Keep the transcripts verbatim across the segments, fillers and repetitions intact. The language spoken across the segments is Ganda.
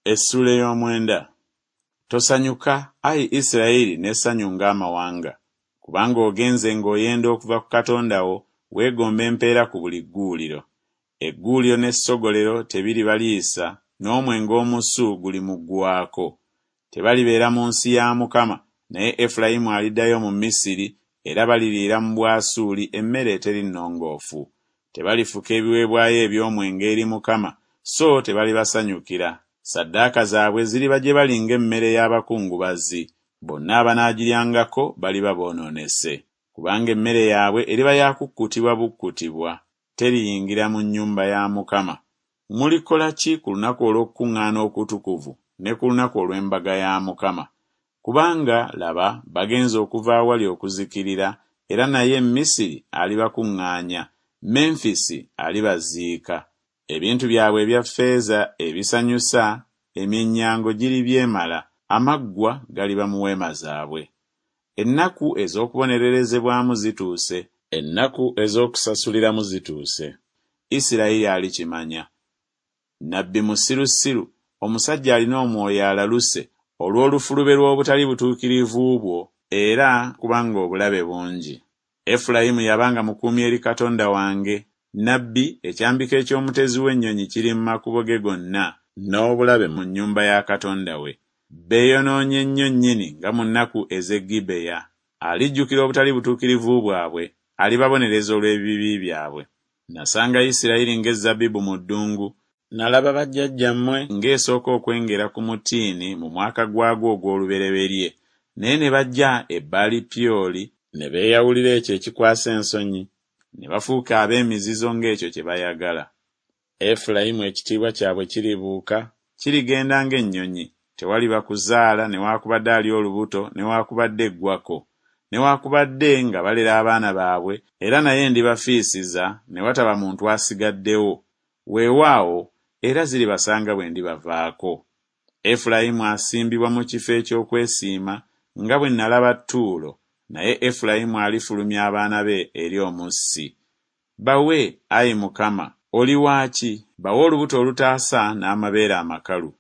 Essuula ey'omwenda. Tosanyuka, ayi Isirayiri, n'essanyu ng'amawanga, kubanga ogenze ng'oyenda okuva ku Katonda wo, weegomba empeera ku buli gguuliro. Egguuliro n'essogolero tebiribaliisa, n'omwenge omusu gulimuggwaako. Tebalibeera mu nsi ya Mukama, naye Efulayimu aliddayo mu Misiri, era baliriira mu Bwasuuli emmere eteri nnongoofu. Tebalifuka ebiweebwayo eby'omwenge eri Mukama, so tebalibasanyukira. Ssaddaaka zaabwe ziriba gye bali ng'emmere y'abakungubazi, bonna abanaagiryangako baliba boonoonese. Kubanga emmere yaabwe eriba ya kukkutibwa bukkutibwa, teriyingira mu nnyumba ya Mukama. Mulikola ki ku lunaku olw'okukuŋŋaana okutukuvu ne ku lunaku olw'embaga ya Mukama? Kubanga, laba, bagenze okuva awali okuzikirira, era naye Misiri alibakuŋŋaanya, Menfisi alibaziika. Ebintu byabwe ebya ffeeza ebisanyusa, emyennyango giribyemala, amaggwa galiba mu weema zaabwe. Ennaku ez'okubonererezebwamu zituuse. Ennaku ez'okusasuliramu zituuse. Isirayiri alikimanya. Nnabbi musirusiru, omusajja alina omwoyo alaluse olw'olufulube lw'obutali butuukirivu bwo, era kubanga obulabe bungi. Efulayimu yabanga mukuumi eri Katonda wange, nnabbi, ekyambika eky'omutezi w'ennyonyi kiri mu makubo ge gonna, n'obulabe mu nnyumba ya Katonda we. Beeyonoonye nnyo nnyini nga mu nnaku ez'e Gibeya. Alijjukira obutali butuukirivu bwabwe, alibabonereza olw'ebibi byabwe. Nasanga Isirayiri ng'ezzabbibu mu ddungu, nalaba bajjajjammwe ng'esooka okwengera ku mutiini mu mwaka gwagwo ogw'olubereberye, naye ne bajja e Baali Pyoli, ne beeyawulira ekyo ekikwasa ensonyi, ne bafuuka ab'emizizo ng'ekyo kye bayagala. Efulayimu ekitiibwa kyabwe kiribuuka, kirigenda ng'ennyonyi, tewaliba kuzaala newaakubadde ali olubuto newaakubadde eggwako, newaakubadde nga balera abaana baabwe, era naye ndibafiisiza ne wataba muntu asigaddewo, weewaawo, era ziribasanga bwe ndibavaako. Efulayimu asimbibwa mu kifo eky'okwesiima, nga bwe nalaba Ttuulo, naye Efulayimu alifulumya abaana be eri omussi. Bawe, ayi Mukama, oli waaki? Bawe olubuto olutaasa n'amabeere amakalu.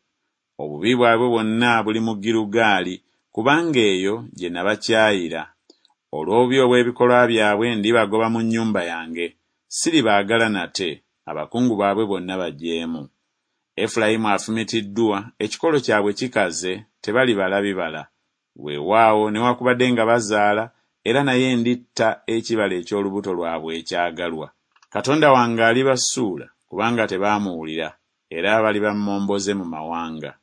Obubi bwabwe bwonna buli mu Girugaali, kubanga eyo gye nabakyayira. Olw'obubi obw'ebikolwa byabwe ndibagoba mu nnyumba yange, siribaagala nate, abakungu baabwe bonna bajeemu. Efulayimu afumitiddwa, ekikolo kyabwe kikaze, tebalibala bibala. Weewaawo newakubadde nga bazaala, era naye nditta ekibala eky'olubuto lwabwe ekyagalwa. Katonda wange alibasuula, kubanga tebaamuwulira, era baliba mmomboze mu mawanga.